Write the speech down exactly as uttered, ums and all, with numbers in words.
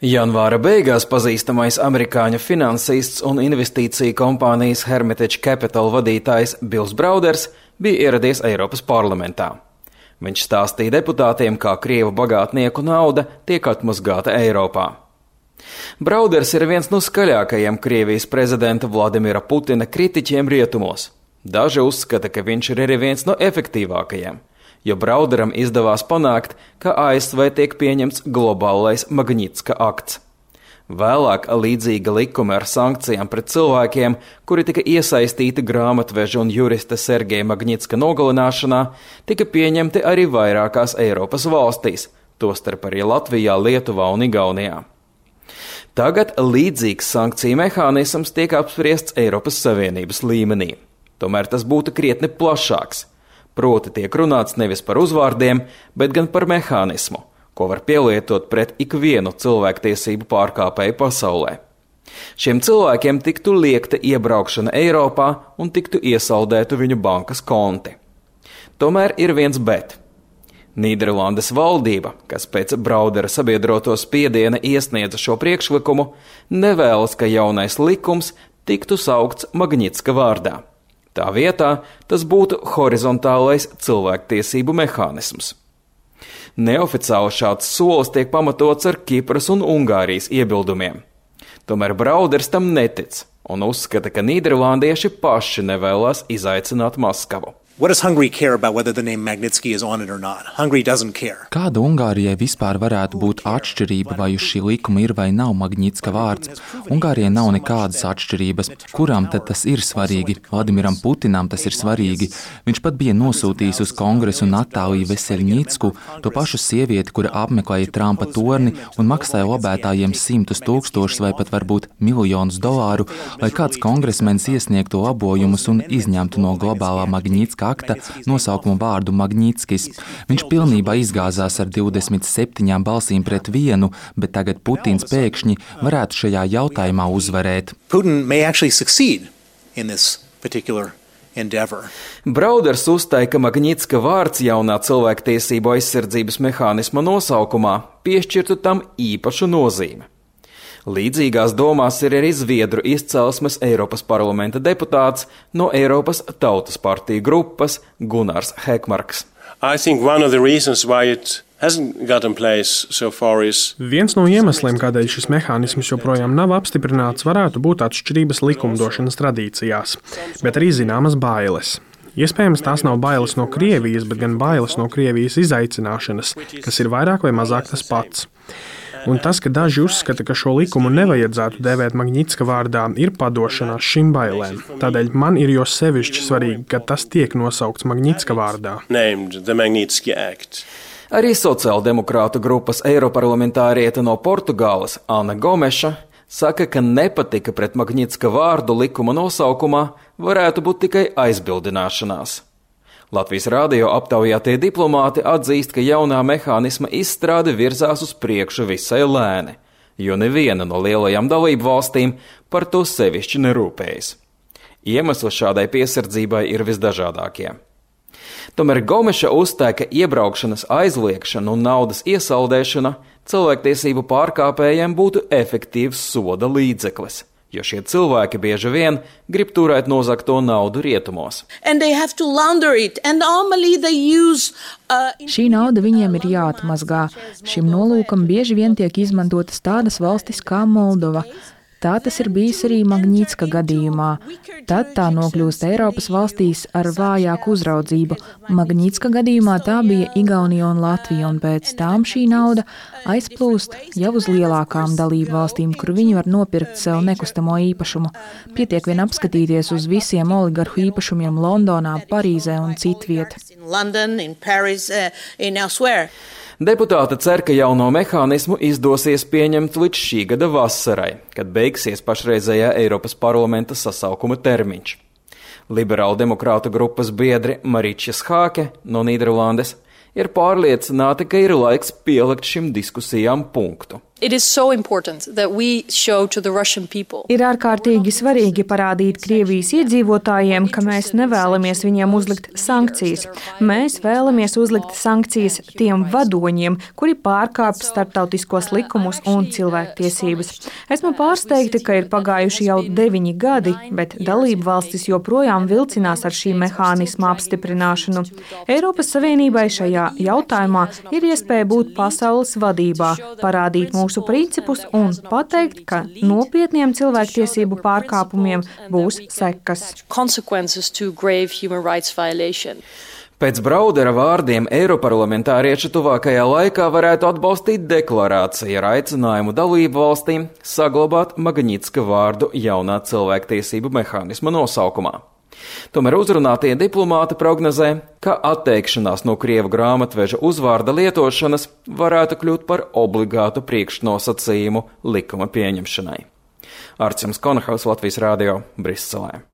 Janvāra beigās pazīstamais amerikāņu finansists un investīciju kompānijas Hermitage Capital vadītājs Bills Brauders bija ieradies Eiropas parlamentā. Viņš stāstīja deputātiem, kā krievu bagātnieku nauda tiek atmazgāta Eiropā. Brauders ir viens no skaļākajiem Krievijas prezidenta Vladimira Putina kritiķiem rietumos. Daži uzskata, ka viņš ir arī viens no efektīvākajiem, jo Brauderam izdevās panākt, ka A S V tiek pieņemts globālais Magnitska akts. Vēlāk līdzīga likuma ar sankcijām pret cilvēkiem, kuri tika iesaistīti grāmatveža un jurista Sergeja Magnitska nogalināšanā, tika pieņemti arī vairākās Eiropas valstīs, tostarp arī Latvijā, Lietuvā un Igaunijā. Tagad līdzīgs sankciju mehānisms tiek apspriests Eiropas Savienības līmenī. Tomēr tas būtu krietni plašāks. Proti tiek runāts nevis par uzvārdiem, bet gan par mehānismu, ko var pielietot pret ikvienu cilvēktiesību pārkāpēju pasaulē. Šiem cilvēkiem tiktu liekta iebraukšana Eiropā un tiktu iesaldētu viņu bankas konti. Tomēr ir viens bet. Nīderlandes valdība, kas pēc Braudera sabiedroto spiediena iesniedza šo priekšlikumu, nevēlas, ka jaunais likums tiktu saukts Magnitska vārdā. Tā vietā tas būtu horizontālais cilvēktiesību mehānisms. Neoficiāli šāds solis tiek pamatots ar Kipras un Ungārijas iebildumiem. Tomēr Brauders tam netic un uzskata, ka nīderlandieši paši nevēlas izaicināt Maskavu. What does Hungary care about whether the name Magnitsky is on it or not? Hungary doesn't care. Kāda Ungārijai vispār varētu būt atšķirība, vai uz šī likuma ir vai nav Magnitska vārds? Ungārijai nav nekādas atšķirības. Kuram tad tas ir svarīgi? Vladimiram Putinam tas ir svarīgi. Viņš pat bija nosūtījis uz kongresu Natāliju Veseļņicku, to pašu sievieti, kura apmeklēja Trumpa torni un maksāja lobētājiem simtus tūkstošus vai pat varbūt miljonus dolāru, lai kāds kongresmenis iesniegtu labojumus un izņemtu no globālā Magnitska akta nosaukumu vārdu Magnitskis. Viņš pilnībā izgāzās ar divdesmit septiņām balsīm pret vienu, bet tagad Putins pēkšņi varētu šajā jautājumā uzvarēt. Putin may actually succeed in this particular endeavor. Brauders uzstāja, ka Magnitska vārds jaunā cilvēktiesību aizsardzības mehānisma nosaukumā piešķirtu tam īpašu nozīmi. Līdzīgās domās ir arī Zviedru izcelsmes Eiropas parlamenta deputāts no Eiropas Tautas partiju grupas Gunārs Hekmarks. I think one of the reasons why it hasn't got in place so far is Viens no iemesliem, kādēļ šis mehānisms joprojām nav apstiprināts, varētu būt atšķirības likumdošanas tradīcijās, bet arī zināmas bailes. Iespējams, tās nav bailes no Krievijas, bet gan bailes no Krievijas izaicināšanas, kas ir vairāk vai mazāk tas pats. Un tas, ka daži uzskata, ka šo likumu nevajadzētu dēvēt Magnitska vārdā, ir padošanās šīm bailēm. Tādēļ man ir jo sevišķi svarīgi, ka tas tiek nosaukts Magnitska vārdā. Arī sociāldemokrātu grupas eiroparlamentāriete no Portugāles Ana Gomeša saka, ka nepatika pret Magnitska vārdu likuma nosaukumā varētu būt tikai aizbildināšanās. Latvijas radio aptaujātie diplomāti atzīst, ka jaunā mehānisma izstrāde virzās uz priekšu visai lēni, jo neviena no lielajām dalību valstīm par to sevišķi nerūpējas. Iemesli šādai piesardzībai ir visdažādākie. Tomēr Gomeša uzstāja, ka iebraukšanas aizliekšana un naudas iesaldēšana cilvēktiesību pārkāpējiem būtu efektīvs soda līdzeklis, jo šie cilvēki bieži vien grib turēt nozagto naudu rietumos. Use, uh, Šī nauda viņiem ir jāatmazgā. Šim nolūkam bieži vien tiek izmantotas tādas valstis kā Moldova. Tā tas ir bijis arī Magnitska gadījumā. Tad tā nokļūst Eiropas valstīs ar vājāku uzraudzību. Magnitska gadījumā tā bija Igaunija un Latvija, un pēc tām šī nauda aizplūst jau uz lielākām dalību valstīm, kur viņi var nopirkt sev nekustamo īpašumu. Pietiek vien apskatīties uz visiem oligarhu īpašumiem Londonā, Parīzē un citviet. Deputāti cer, ka jauno mehānismu izdosies pieņemt līdz šī gada vasarai, kad beigsies pašreizējā Eiropas parlamenta sasaukuma termiņš. Liberālu demokrātu grupas biedri Mariča Schāke no Nīderlandes ir pārliecināti, ka ir laiks pielikt šim diskusijām punktu. So Ir ārkārtīgi svarīgi parādīt Krievijas iedzīvotājiem, ka mēs nevēlamies viņiem uzlikt sankcijas. Mēs vēlamies uzlikt sankcijas tiem vadoņiem, kuri pārkāp starptautiskos likumus un cilvēktiesības. Esmu pārsteigta, ka ir pagājuši jau deviņi gadi, bet dalību valstis joprojām vilcinās ar šī mehānisma apstiprināšanu. Eiropas Savienībai šajā jautājumā ir iespēja būt pasaules vadībā, parādīt mūsu principus un pateikt, ka nopietniem cilvēktiesību pārkāpumiem būs sekas. Pēc Braudera vārdiem eiroparlamentārieši tuvākajā laikā varētu atbalstīt deklarāciju ar aicinājumu dalību valstīm saglabāt Magnitska vārdu jaunā cilvēktiesību mehānisma nosaukumā. Tomēr uzrunātie diplomāti prognozē, ka atteikšanās no krievu grāmatveža uzvārda lietošanas varētu kļūt par obligātu priekšnosacījumu likuma pieņemšanai. Artjums Konahaus, Latvijas radio, Briselē.